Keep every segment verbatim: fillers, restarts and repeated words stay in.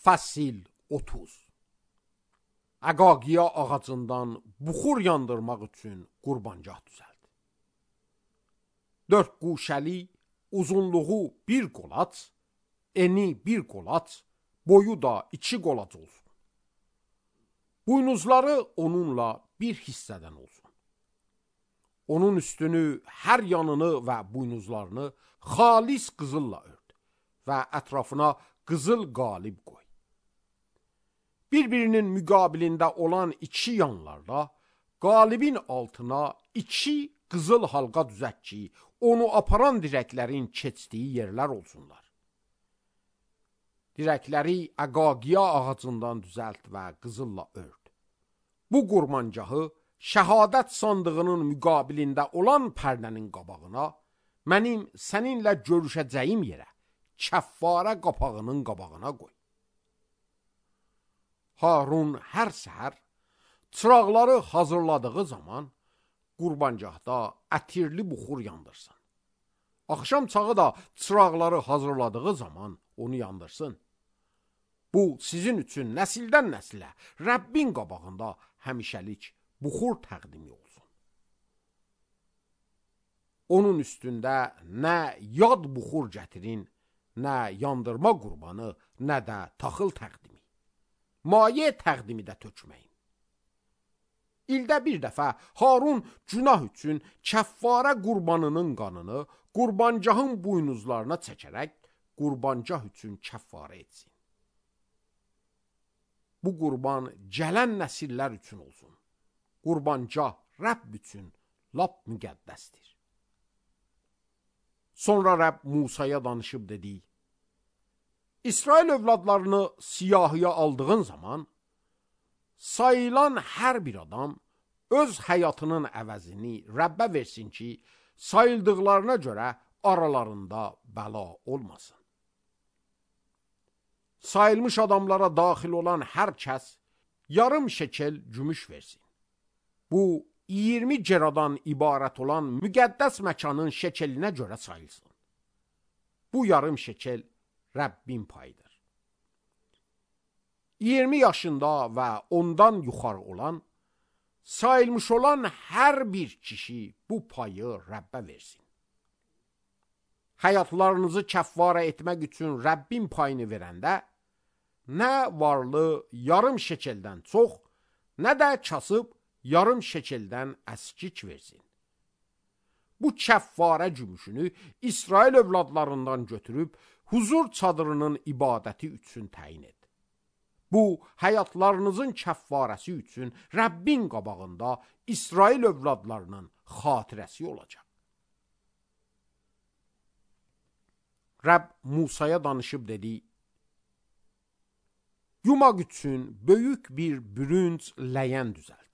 Fəsil otuz. Əqaqiya ağacından buxur yandırmaq üçün qurbancaq düzəld. Dörd quşəli, uzunluğu bir qolac, eni bir qolac, boyu da iki qolac olsun. Buynuzları onunla bir hissədən olsun. Onun üstünü, hər yanını və buynuzlarını xalis qızılla ört və ətrafına qızıl qalib qoy. Bir-birinin müqabilində olan iki yanlarda qalibin altına iki qızıl halqa düzət ki, onu aparan dirəklərin keçdiyi yerlər olsunlar. Dirəkləri əqaqiya ağacından düzəlt və qızılla ört. Bu qurbancahı şəhadət sandığının müqabilində olan pərdənin qabağına, mənim səninlə görüşəcəyim yerə, kəffarə qapağının qabağına qoy. Harun hər səhər çıraqları hazırladığı zaman qurbancaqda ətirli buxur yandırsın. Axşam çağı da çıraqları hazırladığı zaman onu yandırsın. Bu sizin üçün nəsildən nəsilə Rəbbin qabağında həmişəlik buxur təqdimi olsun. Onun üstündə nə yad buxur gətirin, nə yandırma qurbanı, nə də taxıl təqdimi. Maye təqdimi də tökməyin. İldə bir dəfə Harun günah üçün kəffarə qurbanının qanını qurbancahın buynuzlarına çəkərək qurbancah üçün kəffarə etsin. Bu qurban gələn nəsillər üçün olsun. Qurbancah Rəbb üçün lap müqəddəsdir. Sonra Rəbb Musaya danışıb dedi: İsrail övladlarını siyahıya aldığın zaman sayılan hər bir adam öz həyatının əvəzini Rəbbə versin ki, sayıldıqlarına görə aralarında bəla olmasın. Sayılmış adamlara daxil olan hər kəs yarım şekel gümüş versin. Bu, iyirmi ceradan ibarət olan müqəddəs məkanın şekelinə görə sayılsın. Bu yarım şekel Rəbbin payıdır. iyirmi yaşında və ondan yuxarı olan, sayılmış olan hər bir kişi bu payı Rəbbə versin. Həyatlarınızı kəffarə etmək üçün Rəbbin payını verəndə, nə varlı yarım şekeldən çox, nə də kasıb yarım şekeldən əskik versin. Bu kəffarə gümüşünü İsrail övladlarından götürüb, huzur çadırının ibadəti üçün təyin et. Bu, həyatlarınızın kəffarəsi üçün Rəbbin qabağında İsrail övladlarının xatirəsi olacaq. Rəbb Musaya danışıb dedi: Yumaq üçün böyük bir bürünc ləyən düzəld.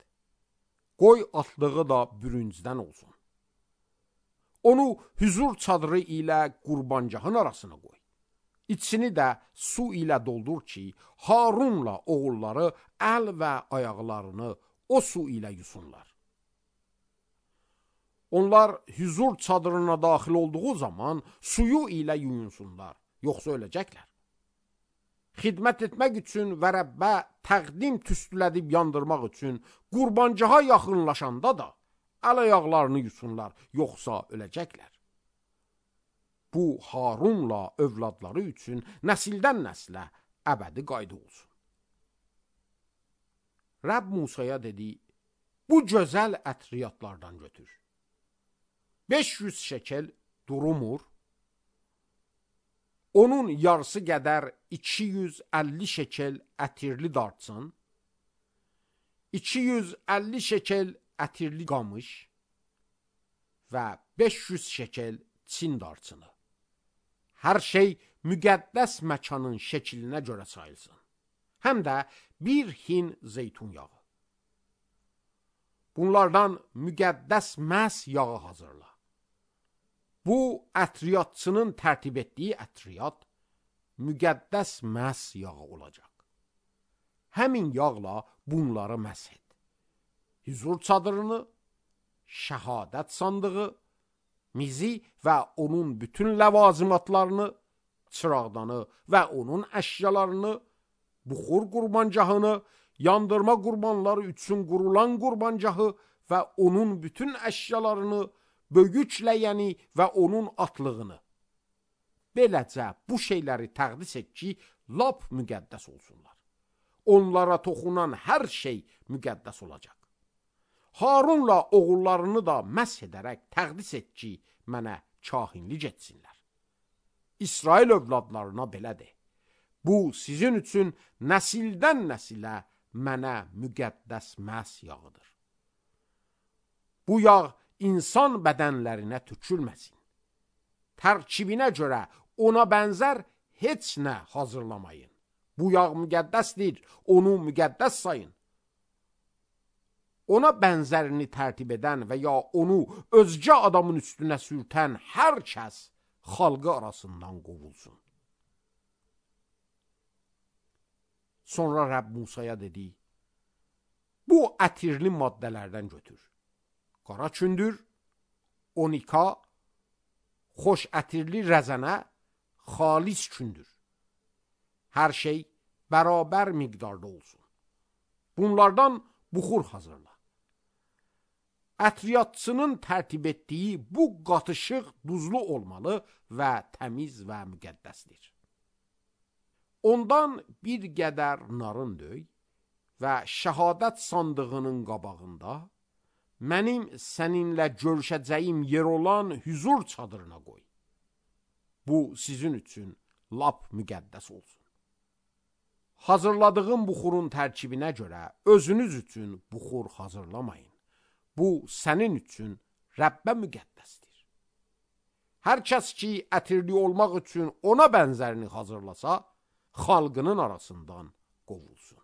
Qoy atlığı da bürüncdən olsun. Onu hüzur çadırı ilə qurbancahın arasına qoy. İçini də su ilə doldur ki, Harunla oğulları əl və ayaqlarını o su ilə yusunlar. Onlar hüzur çadırına daxil olduğu zaman suyu ilə yuyunsunlar, yoxsa öləcəklər. Xidmət etmək üçün və Rəbbə təqdim tüstülədib yandırmaq üçün qurbancaha yaxınlaşanda da əl ayaqlarını yusunlar, yoxsa öləcəklər. Bu, Harunla övladları üçün nəsildən nəslə əbədi qayda olsun. Rəbb Musaya dedi: Bu gözəl ətriyyatlardan götür. beş yüz şekel durumur, onun yarısı qədər iki yüz əlli şekel ətirli dartsın, iki yüz əlli şekel ətirli qamış və beş yüz şekel çin dartsını. Hər şey müqəddəs məkanın şəklinə görə sayılsın. Həm də bir hin zeytun yağı. Bunlardan müqəddəs məhz yağı hazırla. Bu, ətriyyatçının tərtib etdiyi ətriyyat müqəddəs məhz yağı olacaq. Həmin yağla bunları məhz et. Hüzur çadırını, şəhadət sandığı, mizi və onun bütün ləvazimatlarını, çıraqdanı və onun əşyalarını, buxur qurbancahını, yandırma qurbanları üçün qurulan qurbancahı və onun bütün əşyalarını, böyükləyəni və onun atlığını. Beləcə bu şeyləri təqdis et ki, lap müqəddəs olsunlar. Onlara toxunan hər şey müqəddəs olacaq. Harunla oğullarını da məsh edərək təqdis et ki, mənə kahinlik etsinlər. İsrail övladlarına belə de. Bu sizin üçün nəsildən nəsilə mənə müqəddəs məs yağıdır. Bu yağ insan bədənlərinə tökülməsin. Tərkibinə görə ona bənzər heç nə hazırlamayın. Bu yağ müqəddəsdir, onu müqəddəs sayın. Ona bənzərini tərtib edən və ya onu özgə adamın üstünə sürtən hər kəs xalqı arasından qovulsun. Sonra Rəbb Musaya dedi, bu ətirli maddələrdən götür. Qara kündür, onika, xoş ətirli rəzənə, xalis kündür. Hər şey bərabər miqdarda olsun. Bunlardan buxur hazırla. Ətriyyatçının tərtib etdiyi bu qatışıq duzlu olmalı və təmiz və müqəddəsdir. Ondan bir qədər narın döy və şəhadət sandığının qabağında mənim səninlə görüşəcəyim yer olan hüzur çadırına qoy. Bu sizin üçün lap müqəddəs olsun. Hazırladığım buxurun tərkibinə görə özünüz üçün buxur hazırlamayın. Bu sənin üçün Rəbbə müqəddəsdir. Hər kəs ki, ətirli olmaq üçün ona bənzərini hazırlasa, xalqının arasından qovulsun.